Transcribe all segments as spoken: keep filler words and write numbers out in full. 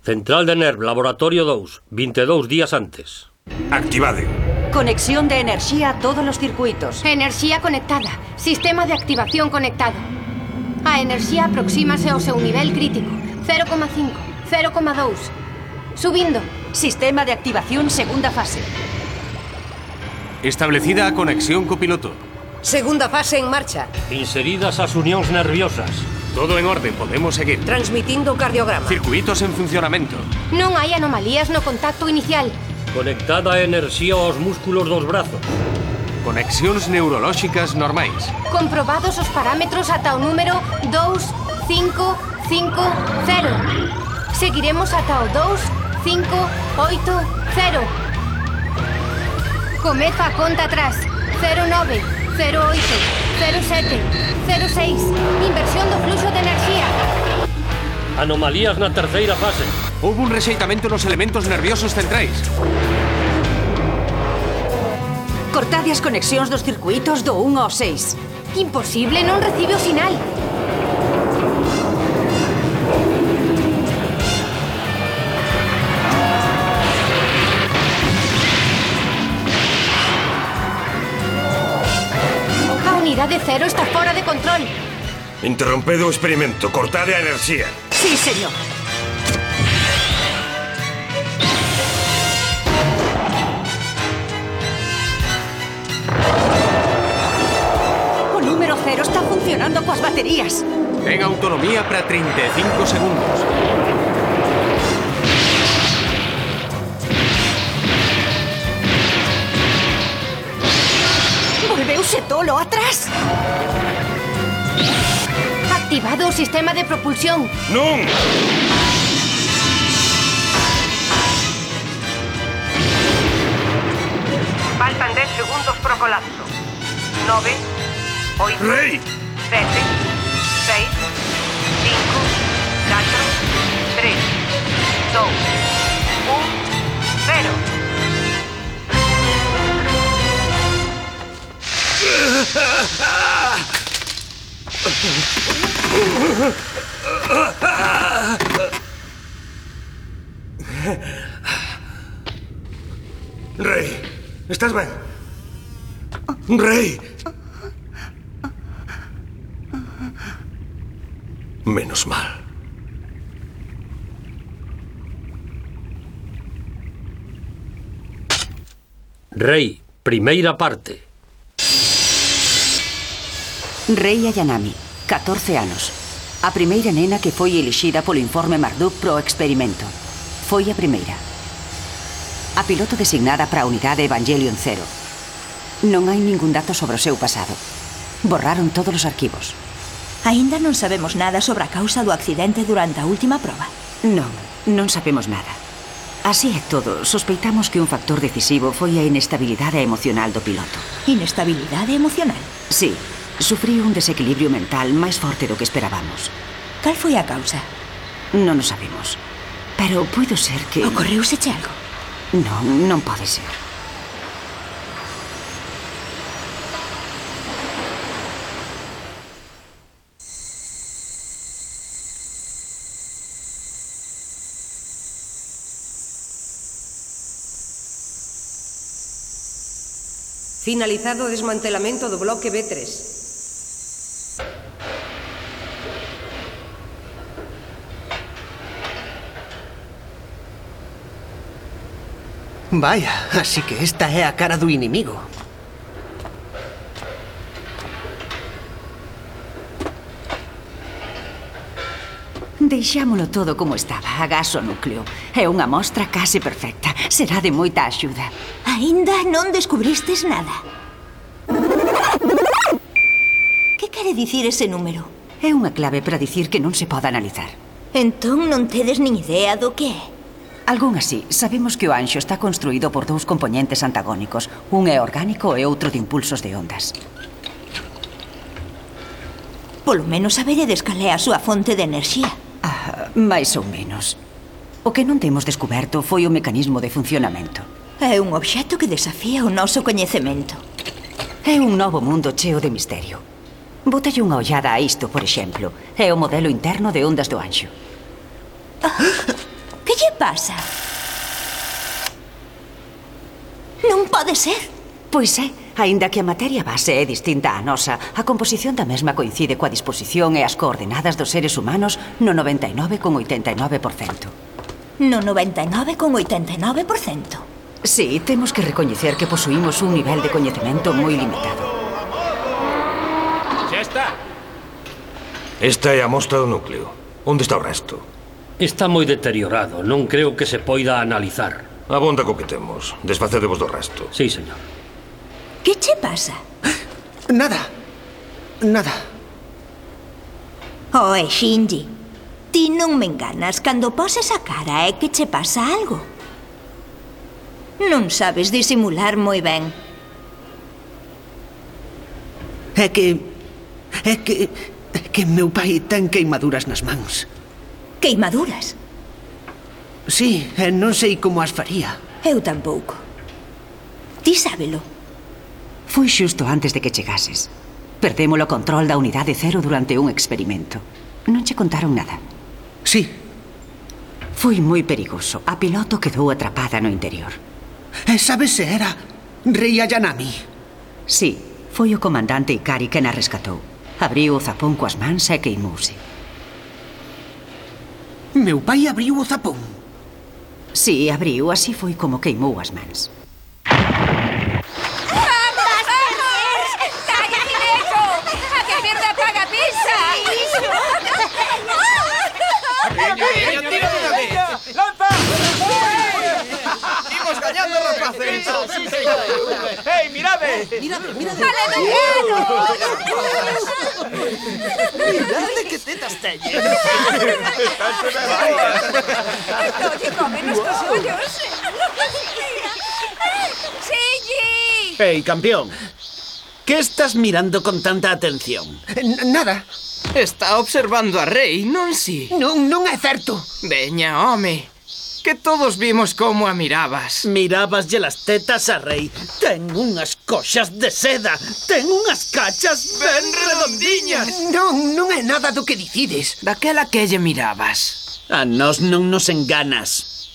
Central de Nerv, Laboratorio dous, vinte e dous días antes. Activade. Conexión de enerxía a todos os circuitos. Enerxía conectada. Sistema de activación conectado. A enerxía aproxímase ao seu nivel crítico. cero coma cinco, cero coma dous. Subindo. Sistema de activación segunda fase. Establecida a conexión copiloto. Segunda fase en marcha. Inseridas as unións nerviosas. Todo en orden, podemos seguir. Transmitindo cardiograma. Circuitos en funcionamento. Non hai anomalías no contacto inicial. Conectada a enerxía aos músculos dos brazos. Conexións neurolóxicas normais. Comprobados os parámetros ata o número dous cinco cinco cero. Seguiremos ata o dous cinco oito cero. Comeza a conta atrás. cero nove, cero oito, cero sete, cero seis. Inversión do fluxo de enerxía. Anomalías na terceira fase. Houve un rexeitamento nos elementos nerviosos centrais. Cortade as conexións dos circuitos do un ao seis. Imposible, non recibe o sinal. A unidade cero está fora de control. Interrompedo o experimento. Cortade a enerxía. Sí, señor. O número cero está funcionando coas baterías. Ten autonomía para treinta e cinco segundos. Volveuse tolo atrás. Activado o sistema de propulsión. Non! Faltan dez segundos pro colapso. nove, oito, Rei! sete, seis, cinco, catro, tres, dous, un, cero. Rei, estás ben? Rei! Menos mal. Rei, primeira parte. Rei Ayanami, catorce anos. A primeira nena que foi elixida polo informe Marduk pro experimento. Foi a primeira. A piloto designada para a unidade Evangelion Zero. Non hai ningún dato sobre o seu pasado. Borraron todos os arquivos. Aínda non sabemos nada sobre a causa do accidente durante a última proba. Non, non sabemos nada. Así é todo, sospeitamos que un factor decisivo foi a inestabilidade emocional do piloto. Inestabilidade emocional? Sí, sufriu un desequilibrio mental máis forte do que esperábamos. Cal foi a causa? Non o sabemos. Pero puido ser que... Ocorreuselle algo? Non, non pode ser. Finalizado o desmantelamento do bloque B tres. Vaya, así que esta é a cara do inimigo. Deixámolo todo como estaba, agás o núcleo. É unha mostra case perfecta. Será de moita axuda. Aínda non descubristes nada. Que quere dicir ese número? É unha clave para dicir que non se pode analizar. Entón non tedes nin idea do que é? Algún así. Sabemos que o anxo está construído por dous componentes antagónicos. Un é orgánico e outro de impulsos de ondas. Polo menos saberedes cal é a súa fonte de enerxía. Ah, máis ou menos. O que non temos descoberto foi o mecanismo de funcionamento. É un obxecto que desafía o noso coñecemento. É un novo mundo cheo de misterio. Bótalle unha ollada a isto, por exemplo. É o modelo interno de ondas do anxo. Ah, que lle pasa? Non pode ser. Pois é, aínda que a materia base é distinta á nosa, a composición da mesma coincide coa disposición e as coordenadas dos seres humanos no noventa e nove coma oitenta e nove por cento. No noventa e nove coma oitenta e nove por cento. Sí, temos que recoñecer que posuímos un nivel de coñecemento moi limitado. Xa está. Esta é a mostra do núcleo. Onde está o resto? Está moi deteriorado. Non creo que se poida analizar. Abonda co que temos. Desfacedevos do resto. Sí, señor. Que che pasa? Nada. Nada. Oe, Shinji, ti non me enganas. Cando poses a cara é que che pasa algo. Non sabes disimular moi ben. É que... É que... É que meu pai ten queimaduras nas mans. Queimaduras? Sí, e non sei como as faría. Eu tampouco. Ti sábelo. Foi xusto antes de que chegases. Perdemos o control da unidade cero durante un experimento. Non che contaron nada. Sí. Foi moi perigoso. A piloto quedou atrapada no interior. E sabes se era Rei Ayanami? Sí, foi o comandante Ikari quen a rescatou. Abriu o zapón coas mans e queimouse. Meu pai abriu o zapón. Sí, abriu, así foi como queimou as mans. ¡Imos gañando, rapaces! ¡Hey, mirade! Mirade, mirade. Mirade que tetas teñen! ¡Oye, cómenos tus ollos! ¡Shinji! ¡Hey, campeón! ¿Qué estás mirando con tanta atención? N- Nada. Está observando a Rei, non si? Non, non é certo. Veña, home. Que todos vimos como a mirabas. Mirabaslle las tetas a Rei. Ten unhas coxas de seda. Ten unhas cachas ben redondiñas. Non, non é nada do que dicides. Daquela que lle mirabas. A nós non nos enganas.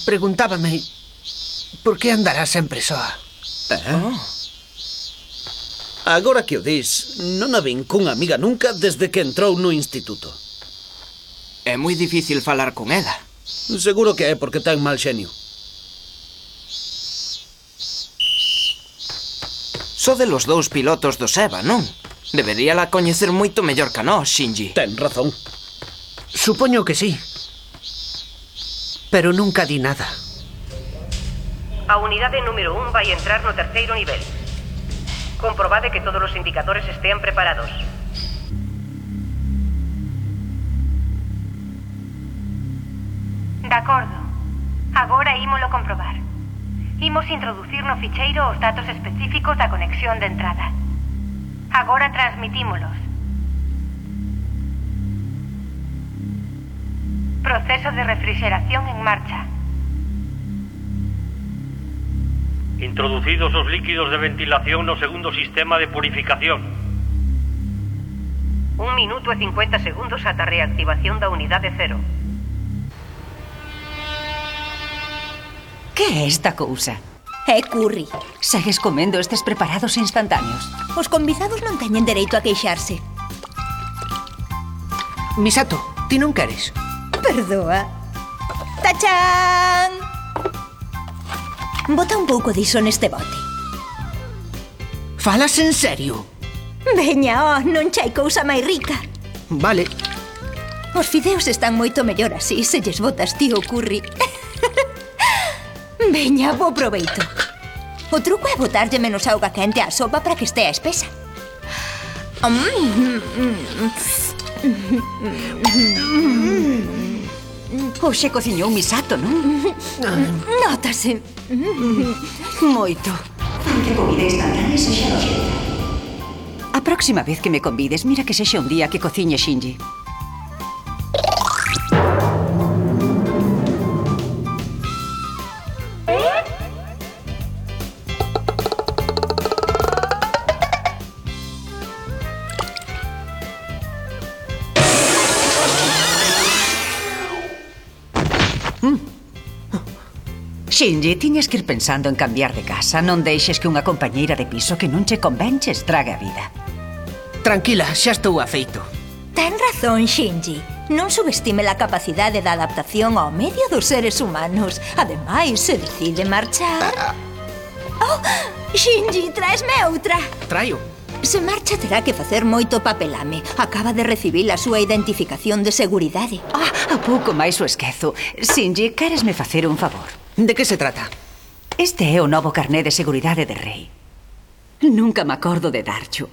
Preguntábame por que andará sempre soa. Eh? Oh. Agora que o dis, non a vin cunha amiga nunca desde que entrou no instituto. É moi difícil falar con ela. Seguro que é porque ten mal xenio. Sode los dous pilotos do Seba, non? Deberíala coñecer moito mellor que nós, Shinji. Ten razón. Supoño que sí. Pero nunca di nada. A unidade número un vai entrar no terceiro nivel. Comprobade que todos os indicadores estean preparados. De acordo. Agora ímolo comprobar. Imos introducir no ficheiro os datos específicos da conexión de entrada. Agora transmitímolos. Proceso de refrigeración en marcha. Introducidos os líquidos de ventilación no segundo sistema de purificación. Un minuto e cincuenta segundos ata a reactivación da unidade cero. Que é esta cousa? É curry. Segues comendo estes preparados instantáneos? Os convidados non teñen dereito a queixarse. Misato, ti non queres? Perdoa. Tachán! Bota un pouco diso neste bote. Falas en serio? Veña, oh, non chai cousa máis rica. Vale. Os fideos están moito mellor así, se lles botas ti o curry. Veña, bo proveito. O truco é botarlle menos auga quente á sopa para que estea espesa. Hoxe cociñou Misato, non? Nótase. Moito. Que comida instantánea sexa noxenta. A próxima vez que me convides, mira que sexa un día que cociñe Shinji. Shinji, tiñas que ir pensando en cambiar de casa. Non deixes que unha compañeira de piso que non che convenche estrague a vida. Tranquila, xa estou afeito. Ten razón, Shinji. Non subestime a capacidade de adaptación ao medio dos seres humanos. Ademais, se decide marchar... Oh, Shinji, traesme outra. Traio. Se marcha terá que facer moito papelame. Acaba de recibir a súa identificación de seguridade. Ah, a pouco máis o esquezo. Shinji, queresme facer un favor? De que se trata? Este é o novo carné de seguridade de Rei. Nunca me acordo de darcho.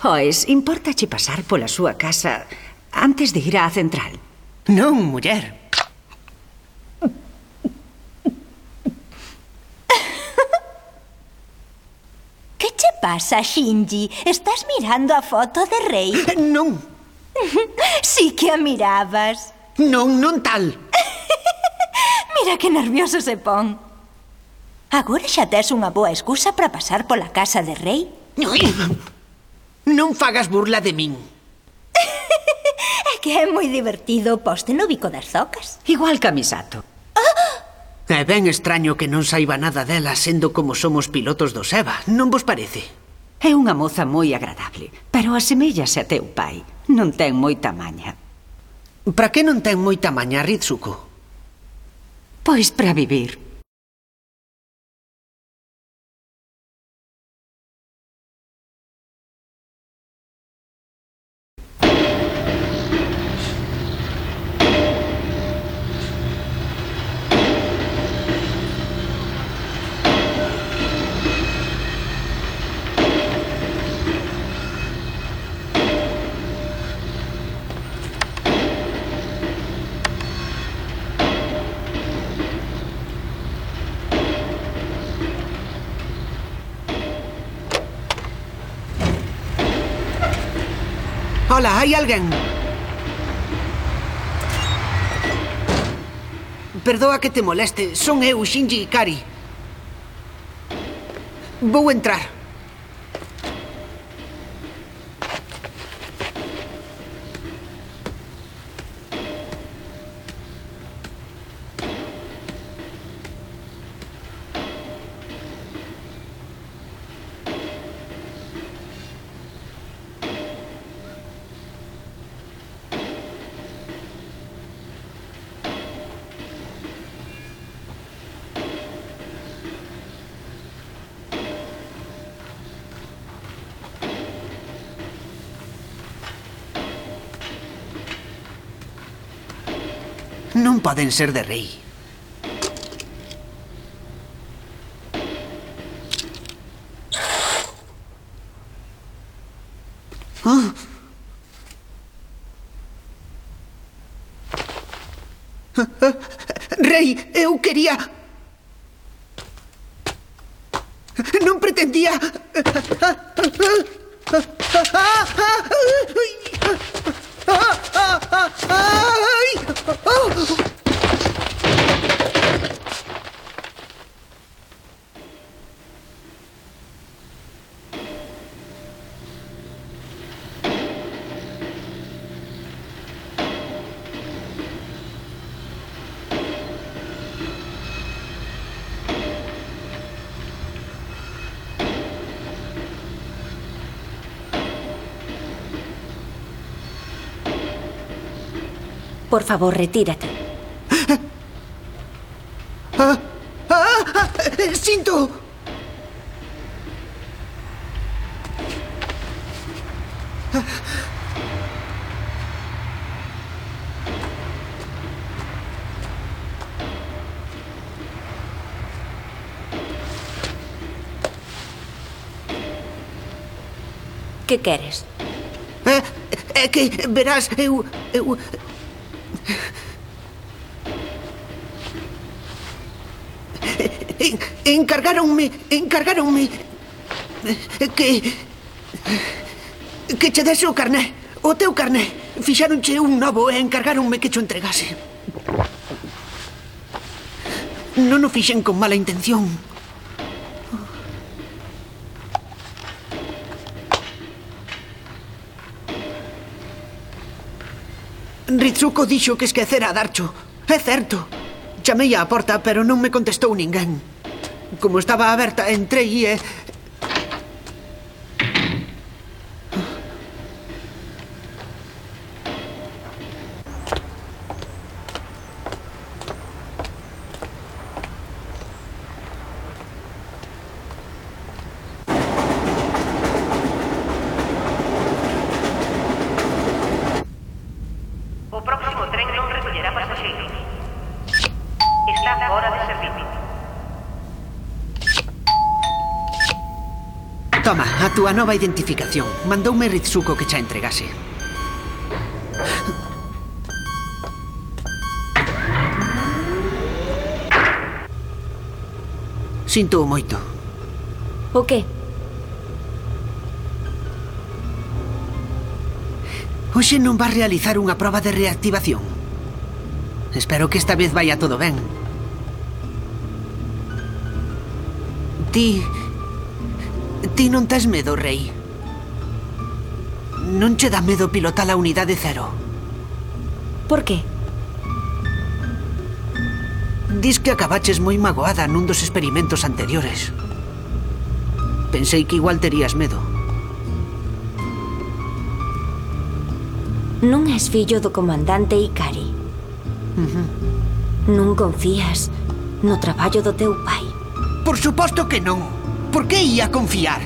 Oes, importache pasar pola súa casa antes de ir á central? Non, muller. Que che pasa, Shinji? Estás mirando a foto de Rei? Non. Sí que a mirabas. Non, non tal. Mira que nervioso se pon. Agora xa tes unha boa excusa para pasar pola casa de Rei. Non fagas burla de min. É que é moi divertido poste no bico das zocas. Igual que a Misato. É ben extraño que non saiba nada dela sendo como somos pilotos do SEBA, non vos parece? É unha moza moi agradable, pero asemellase a teu pai. Non ten moita maña. Para que non ten moita maña, Ritsuko? Pois para vivir. Hola, hai alguén? Perdoa que te moleste, son eu, Shinji Ikari. Vou entrar. Non poden ser de Rei. Oh. Rei, eu quería... Non pretendía... Por favor, retírate. Ah, ah, ah, ¡Sinto! Que queres? É, é que, verás, eu... eu... Encargáronme, encargáronme que que che dese o carné, o teu carné. Fixáronche un novo e encargáronme que cho entregase. Non o fixen con mala intención. Ritsuko dixo que esquecera a darcho. É certo. Chamei á porta, pero non me contestou ninguén. Como estaba aberta, entrei e... O próximo tren non recollerá pasaxeiros. Está fora de servicio. Toma, a túa nova identificación. Mandoume Ritsuko que xa entregase. Sinto moito. O que? Hoxe non vas realizar unha proba de reactivación. Espero que esta vez vaya todo ben. Ti... Ti non tes medo, Rei? Non che dá medo pilotar a unidade cero? Por que? Dis que acabaches moi magoada nun dos experimentos anteriores. Pensei que igual terías medo. Non és fillo do comandante Ikari. Uh-huh. Non confías no traballo do teu pai. Por suposto que non. Por que ia confiar?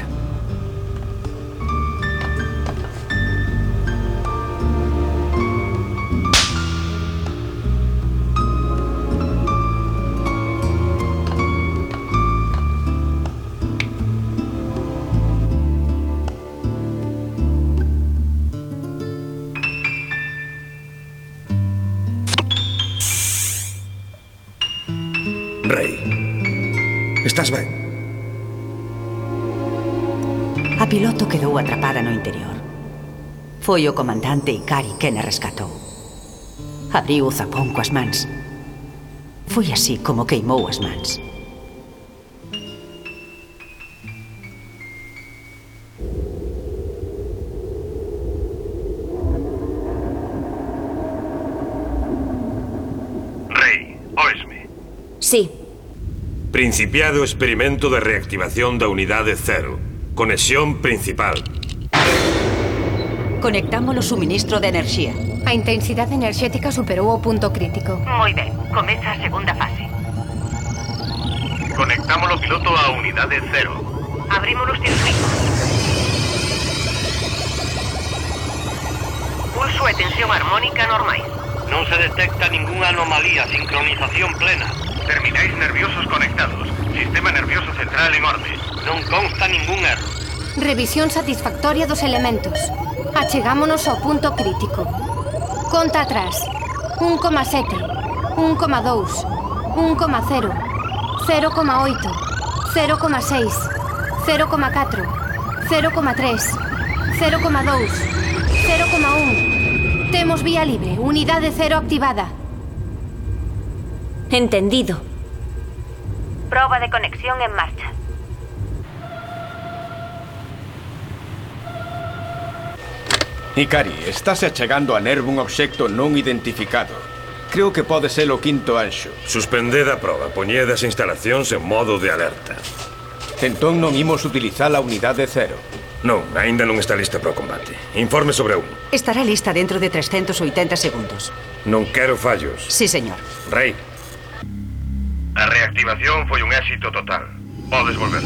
Rei, estás ben? A piloto quedou atrapada no interior. Foi o comandante Ikari quen a rescatou. Abriu o zapón coas mans. Foi así como queimou as mans. Rei, oesme. Sí. Principiado o experimento de reactivación da unidade cero. Conexión principal. Conectamos o suministro de enerxía. A intensidade enerxética superou o punto crítico. Moi ben, comeza a segunda fase. Conectamos o piloto á unidade cero. Abrimos os circuitos. Pulso e tensión armónica normais. Non se detecta ningunha anomalía, sincronización plena. Terminais nerviosos conectados. Sistema nervioso central en orde. Non consta ningún erro. Revisión satisfactoria dos elementos. Achegámonos ao punto crítico. Conta atrás. un coma sete, un coma dous, un coma cero, cero coma oito, cero coma seis, cero coma catro, cero coma tres, cero coma dous, cero coma un. Temos vía libre. Unidade cero activada. Entendido. Proba de conexión en marcha. Ikari, estáse achegando a Nerv un obxecto non identificado. Creo que pode ser o quinto anxo. Suspended a proba. Poñed as instalacións en modo de alerta. Entón non imos utilizar a unidade cero. Non, aínda non está lista para o combate. Informe sobre un. Estará lista dentro de trescentos oitenta segundos. Non quero fallos. Sí, señor. Rei. A reactivación foi un éxito total. Podes volver.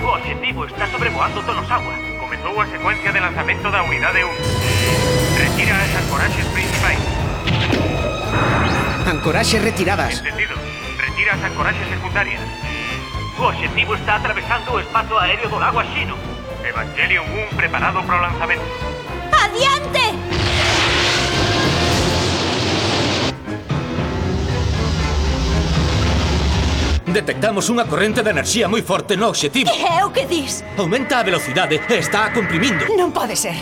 O obxectivo está sobrevoando Tonosawa. Comezou a secuencia de lanzamento da unidade un. Retira as ancoraxes principais. Ancoraxes retiradas. Entendido. Retira as ancoraxes secundarias. O obxectivo está atravesando o espazo aéreo do lago Ashino. Evangelion un preparado para o lanzamento. ¡Adiante! Detectamos unha corrente de enerxía moi forte no obxectivo. Que é o que dis? Aumenta a velocidade e está a comprimindo. Non pode ser.